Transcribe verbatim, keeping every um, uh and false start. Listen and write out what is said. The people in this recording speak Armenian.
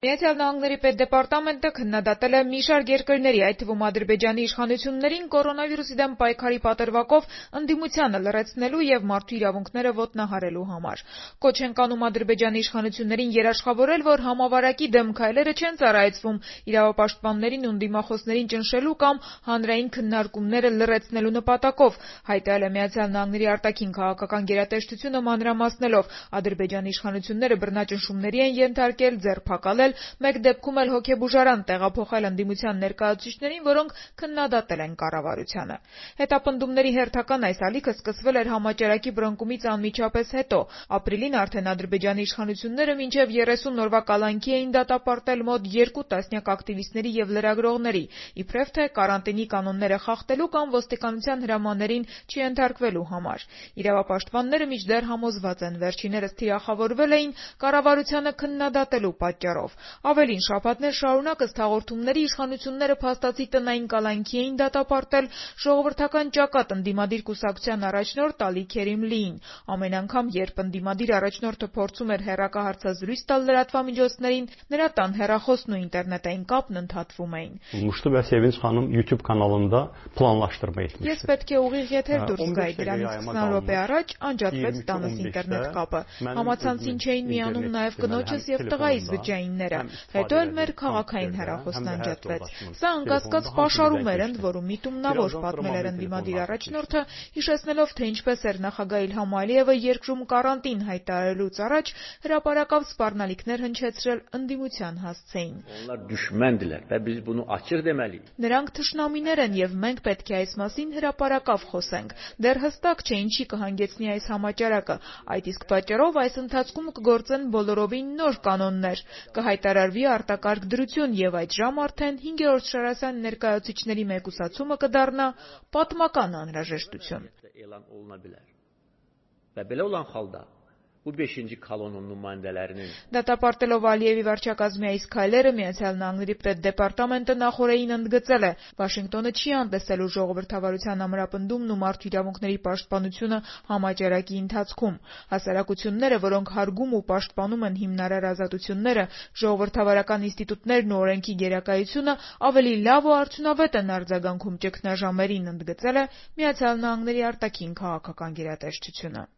Միացյալ Նահանգների պետդեպարտամենտը քննադատել է մի շարք երկրների, այդ թվում Ադրբեջանի իշխանություններին կորոնավիրուսի դեմ պայքարի պատրվակով ընդդիմությանը լռեցնելու եւ մարդու իրավունքները ոտնահարելու համար։ Կոչ են կանում Ադրբեջանի իշխանություններին երաշխավորել, որ համավարակի դեմ քայլերը չեն ծառայեցվում իրավապաշտպաններին ու ընդդիմախոսներին ճնշելու կամ հանրային քննարկումները լռեցնելու նպատակով, հայտարարել է Միացյալ Նահանգների արտաքին քաղաքական գերատեսչությունը մանրամասնելով Ադրբեջանի իշխանությունները բռնաճնշումների են ենթարկել, ձերբակալել, մեկ դեպքում էլ հոգեբուժարան տեղափոխել ընդդիմության ներկայացուցիչներին, որոնք քննադատել են կառավարությանը։ Հետապնդումների հերթական այս ալիքը սկսվել էր համաճարակի բռնկումից անմիջապես հետո։ Ապրիլին արդեն Ադրբեջանի իշխանությունները մինչև երեսուն օրվա կալանքի էին դատապարտել մոտ երկու տասնյակ ակտիվիստների եւ լրագրողների, իբրև թե կարանտինի կանոնները խախտելու կամ ոստիկանության հրամաններին չենթարկվելու համար։ Իրավապաշտպանները մինչդեռ համոզված են, վերջիններս թիրախավորվել էին կառավարությանը քննադատելու պատճառով։ Ավելին, շաբաթներ շարունակ ըստ հաղորդումների իշխանությունները փաստացի տնային կալանքի էին դատապարտել ժողովրդական ճակատ ընդդիմադիր կուսակցության առաջնորդ Ալի Քերիմլիին։ Ամեն անգամ, երբ ընդդիմադիր առաջնորդը փորձում էր հեռակահարցազրույց տալ լրատվամիջոցներին, նրա տան հեռախոսն ու ինտերնետային կապն ընդհատվում էին։ YouTube kanalında planlaştırma etmişti. Ես պետք է ուղիղ եթեր դուրս գայի, դրանից քսան րոպե առաջ անջատվեց տանս ինտերնետ կապը։ Համացանցին չէին միանում նաև կնոջս եւ տղայիս բջջայինները, հետո էլ մեր քաղաքային հեռախոսն անջատվեց։ Սա անկասկած պաշարում էր, ընդ որում միտումնավոր պատմել էր ընդդիմադիր առաջնորդը, հիշեցնելով, թե ինչպես էր նախագահ Իլհամ Ալիևը երկրում կարանտին հայտարարելուց առաջ հրապարակավ սպառնալիքներ հնչեցրել ընդդիմության հասցեին։ Նրանք թշնամիներ են եւ մենք պետք է այս մասին հրապարակավ խոսենք։ Դեռ հստակ չէ ինչի կհանգեցնի այս համաճարակը, այդ իսկ պատճառով այս ընթացքում կգործեն բոլորովին նոր կանոններ, կհայտարարվի արտակարգ դրություն եւ այդժամ արդեն հինգերորդ շարասան ներկայացուցիչների մեկուսացումը կդառնա պատմական անհրաժեշտություն։ Դատապարտելով Ալիևի վարչակազմի այս քայլերը Միացյալ Նահանգների պետդեպարտամենտը նախօրեին ընդգծել է. Վաշինգտոնը չի անտեսելու ժողովրդավարության ամրապնդումն ու մարդու իրավունքների պաշտպանությունը համաճարակի ընթացքում։ Հասարակությունները, որոնք հարգում ու պաշտպանում են հիմնարար ազատությունները, ժողովրդավարական ինստիտուտներն ու օրենքի գերակայությունը, ավելի լավ ու արդյունավետ են արձագանքում ճգնաժամերին, ընդգծել է Միացյալ Նահանգների արտաքին քաղաքական գերատեսչությունը։